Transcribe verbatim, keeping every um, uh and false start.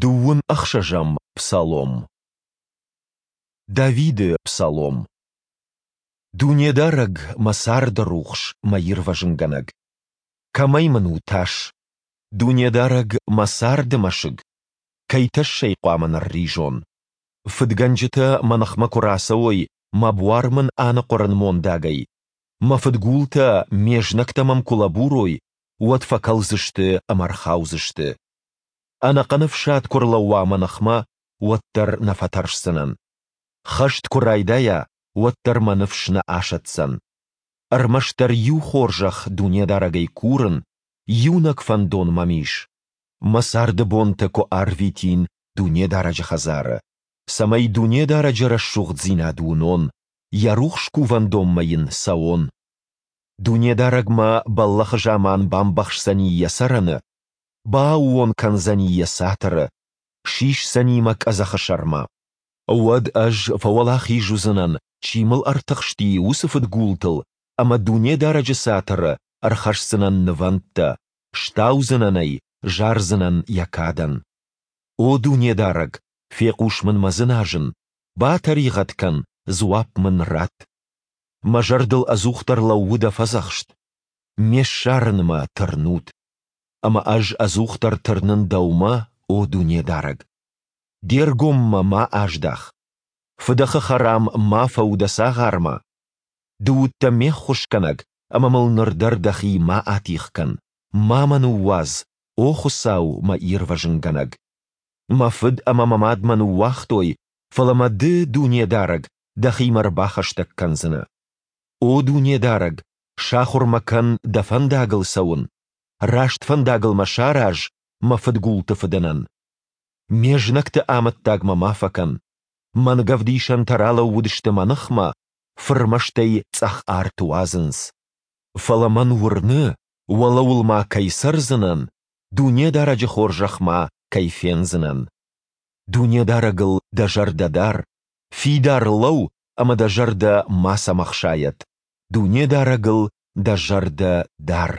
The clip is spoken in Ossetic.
Дыууын ӕхсӕзӕм псалом. Давиды псалом. Дунедарӕг, мӕ царды рухс, мӕ ирвӕзынгӕнӕг! Кӕмӕй мын у тас? Дунедарӕг, мӕ царды мӕсыг! Кӕй тӕссӕй хъуамӕ нырризон? Фыдгӕнджытӕ мӕ ныхмӕ куы рацӕуой, мӕ буар мын аныхъуырын мондагӕй, мӕ фыдгултӕ, ме знӕгтӕ мӕм куы лӕбурой, уӕд фӕкӕлдзысты ӕмӕ рхаудзысты. Ӕнӕхъӕн ӕфсад куы рлӕууа мӕ ныхмӕ, уӕддӕр нӕ фӕтӕрсдзынӕн. Хӕст куы райдайа, уӕддӕр мӕ ныфс нӕ асӕтдзӕн. Ӕрмӕстдӕр иу хорзӕх Дунедарӕгӕй курын, иунӕг фӕндон мӕм ис: мӕ царды бонтӕ куы арвитин Дунедарӕджы хӕдзары, цӕмӕй Дунедарӕджы рӕсугъддзинад уынон, Йӕ рухс кувӕндонмӕ Йын цӕуон. Дунедарӕг мӕ бӕллӕхы заман бамбӕхсдзӕни Йӕ цӕрӕны, бааууон кӕндзӕни Йӕ цатыры, сисдзӕни мӕ къӕдзӕхы сӕрмӕ. Уӕд ӕз фӕуӕлахиз уыдзынӕн, чи мыл ӕртыхсти, уыцы фыдгултыл ӕмӕ Дунедарӕджы цатыры ӕрхӕсдзынӕн нывӕндтӕ, стаудзынӕн ӕй, зардзынӕн Йӕ кадӕн. О Дунедарӕг, фехъус мын мӕ дзыназын, батӕригъӕд кӕн, дзуапп мын ратт. Мӕ зӕрдыл ӕдзухдӕр лӕууы Дӕ фӕдзӕхст: Ме ссарынмӕ тырнут. Ӕмӕ ӕз ӕдзухдӕр тырнын Дӕумӕ, о Дунедарӕг. Де ргом мӕ ма аздах. Фыдӕхы хӕрам ма фӕу дӕ цагъармӕ. Ды уыдтӕ ме ххуысгӕнӕг, ӕмӕ мыл ныр дӕр дӕхи ма атигъ кӕн, ма мӕ ныууадз, о Хуыцау, мӕ ирвӕзынгӕнӕг. Мӕ фыд ӕмӕ мӕ мад мӕ ныууагътой, фӕлӕ мӕ Ды, Дунедарӕг, дӕхимӕ ӕрбахӕстӕг кӕндзынӕ. О Дунедарӕг, сахуыр мӕ кӕн Дӕ фӕндагыл цӕуын, раст фӕндагыл мӕ сараз мӕ фыдгулты фыдӕнӕн. Ме знӕгты амӕттаг мӕ ма фӕкӕн. Мӕнгӕвдисӕнтӕ ралӕууыдысты мӕ ныхмӕ, фырмӕстӕй цъӕх арт уадзынц. Фӕлӕ мӕн уырны, уӕлӕуыл ма кӕй цӕрдзынӕн, Дунедарӕджы хорзӕх ма кӕй фендзынӕн. Дунедарӕгыл дӕ зӕрдӕ дар, фидар лӕуу ӕмӕ дӕ зӕрдӕ мацӕмӕ хсайӕд, Дунедарӕгыл дӕ зӕрдӕ дар.